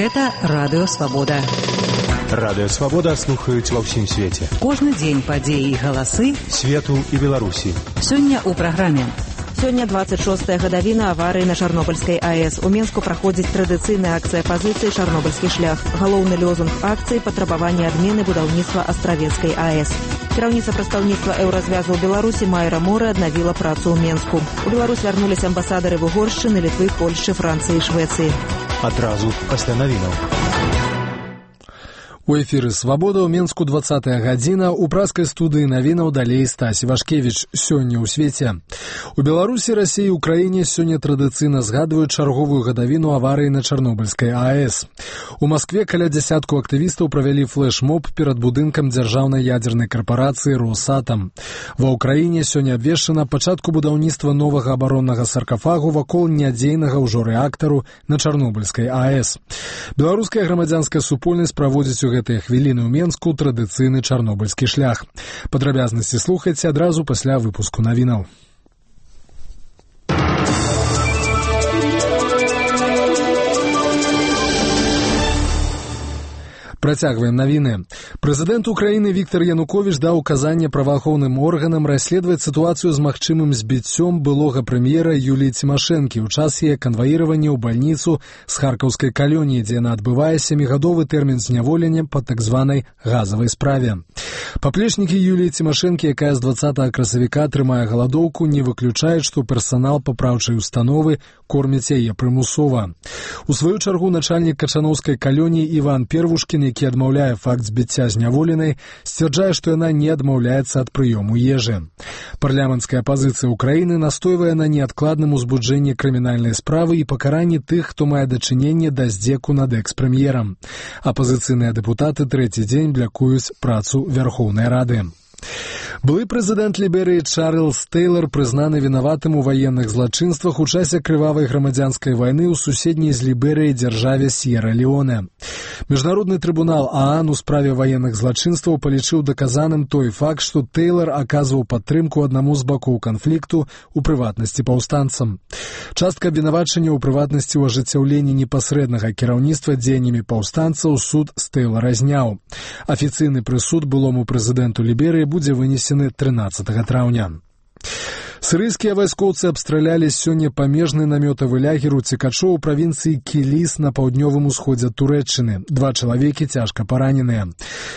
Гэта Радыё Свабода. Радыё Свабода слухаюць ва ўсім свеце. Кожны дзень падзеі і галасы свету і Беларусі. Сёння ў праграме. Сёння 26-я гадавіна аварыі на Чарнобыльскай АЭС. У Мінску праходзіць традыцыйная акцыя пазіцыі «Чарнобыльскі шлях». Галоўны лозунг акцыі – патрабаванне адмены будаўніцтва Астравецкай АЭС. Кіраўніца прадстаўніцтва Еўразвязу ў Беларусі Майра Морэ аднавіла працу ў Мінску. У Беларусь вярнуліся амбасадары Угоршчыны, Літвы, Польшчы, Францыі і Швецыі. Адразу пасля навінаў. У эфіры «Свабода» ў Мінску 20-я гадзіна. У праскай студыі навінаў далей Стась Івашкевіч. Сёння ў свеце. У Беларусі, Расіі і Украіне сёння традыцыйна згадваюць чарговую гадавіну аварыі на Чарнобыльскай АЭС. У Маскве каля дзясятку актывістаў правялі флэш-моб перад будынкам дзяржаўнай ядзернай карпарацыі «Росатам». Ва ўкраіне сёння абвешчана пачатку будаўніцтва новага абароннага саркафагу вакол нядзейнага ўжо рэактару на Чарнобыльскай АЭС. Беларуская грамадзянская супольнасць праводзіць у гэтыя хвіліны ў Мінску традыцыйны чарнобыльскі шлях. Падрабязнасці слухайце адразу пасля выпуску навінаў. Працягваем навіны. Прэзідэнт Украіны Віктор Януковіч даў указанне праваахоўным органам расследаваць сітуацыю з магчымым збіццём былога прэм'ера Юліі Цімашэнкі ў час яе канваіравання ў бальніцу з харкаўскай калоніі, дзе яна адбывае 7-гадовы тэрмін зняволення па так званай газавай справе. Паплечнікі Юліі Цімашэнкі, якая з 20 красавіка трымае галадоўку, не выключаюць, што персанал папраўчай установы корміць яе прымусова. У сваю чаргу начальнік качановскай калоніі Іван Первушкін, які адмаўляе факт збіцця зняволенай, сцвярджае, што яна не адмаўляецца ад прыёму ежы. Парламенцкая апазіцыя Украіны настойвае на неадкладным узбуджэнні крымінальнай справы і пакаранні тых, хто мае дачыненне да здзеку над экс-прэм'ерам. Апазіцыйныя дэпутаты трэці дзень блякуюць працу Верхоўнай Рады. Былы прэзідэнт Ліберыі Чарльз Тэйлар прызнаны вінаватым у ваенных злачынствах у часе крывавай грамадзянскай вайны ў суседняй з Ліберыяй дзяржаве Сьерра-Леоне. Міжнародны трыбунал ААН у справе ваенных злачынстваў палічыў даказаным той факт, што Тэйлар аказваў падтрымку аднаму з бакоў канфлікту, у прыватнасці паўстанцам. Частка абвінавачання ў прыватнасці ў ажыццяўленні непасрэднага кіраўніцтва дзеяннямі паўстанцаў суд з Тэйлара зняў. Афіцыйны прысуд былому прэзідэнту Ліберыі будзе вынесены 13 траўня. Сірыйскія вайскоўцы абстралялі сёння памежны намётавы лагер у цікачоў у правінцыі Кіліс на паўднёвым усходзе Турэччыны. 2 чалавекі цяжка параненыя.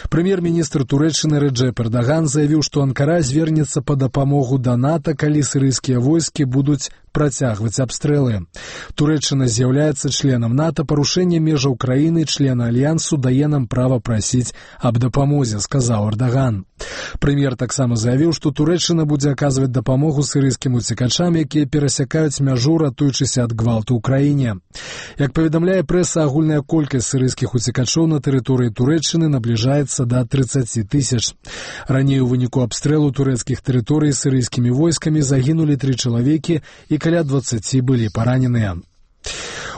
Прэм'ер-міністр Турэччыны Рэджэп Эрдаган заявіў, што Анкара звернецца па дапамогу да НАТО, калі сірыйскія войскі будуць працягваць абстрэлы. Турэччына з'яўляецца членам НАТО, парушэнне межаў краіны, члена альянсу, дае нам права прасіць аб дапамозе, сказаў Эрдаган. Прэм'ер таксама заявіў, што Турэччына будзе аказваць дапамогу сірыйскім уцекачам, якія перасякаюць мяжу, ратуючыся ад гвалту ў краіне. Як паведамляе прэса, агульная колькасць сірыйскіх уцекачоў на тэрыторыі Турэччыны набліжаецца да 30 000. Раней у выніку абстрэлу турэцкіх тэрыторый сірыйскімі войскамі загінулі 3 чалавекі і каля 20 былі параненыя.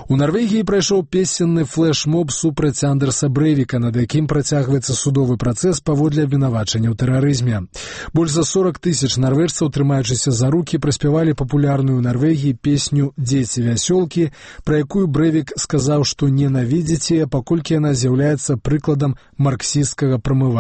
У Нарвегіі прайшоў песенны флэш-моб супраць Андерса Брэйвіка, над якім працягваецца судовы працэс паводле абвінавачання ў тэрарызме. Больш за 40 000 нарвежцаў, трымаючыся за рукі, праспявалі папулярную ў Нарвегіі песню «Дзеці вясёлкі», пра якую Брэйвік сказаў, што ненавідзіць яе, паколькі яна з'яўляецца прыкладам марксісцкага прамывання